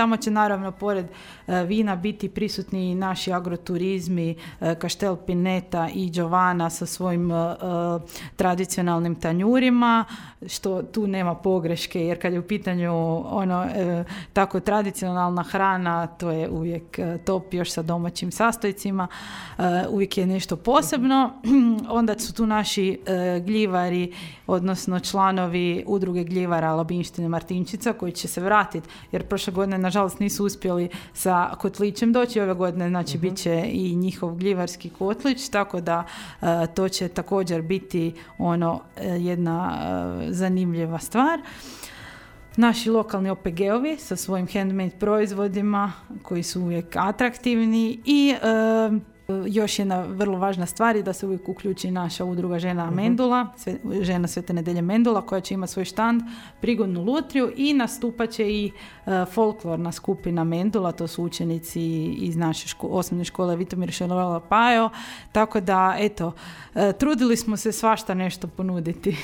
tamo će naravno pored vina biti prisutni i naši agroturizmi, Kaštel Pineta i Giovana sa svojim tradicionalnim tanjurima, što tu nema pogreške, jer kad je u pitanju tako tradicionalna hrana, to je uvijek top, još sa domaćim sastojcima, uvijek je nešto posebno. Onda su tu naši gljivari, odnosno članovi udruge gljivara Labinštine Martinčica, koji će se vratiti, jer prošle godine nažalost nisu uspjeli sa kotlićem doći, ove godine znači bit će i njihov gljivarski kotlić, tako da to će također biti jedna zanimljiva stvar. Naši lokalni OPG-ovi sa svojim handmade proizvodima koji su uvijek atraktivni i još jedna vrlo važna stvar je da se uvijek uključi naša udruga žena Mendula, žena Svete Nedelje Mendula, koja će imati svoj štand, prigodnu lutriju i nastupat će i folklorna skupina Mendula, to su učenici iz naše osnovne škole Vitomir Šelola Pajo, tako da eto, trudili smo se svašta nešto ponuditi.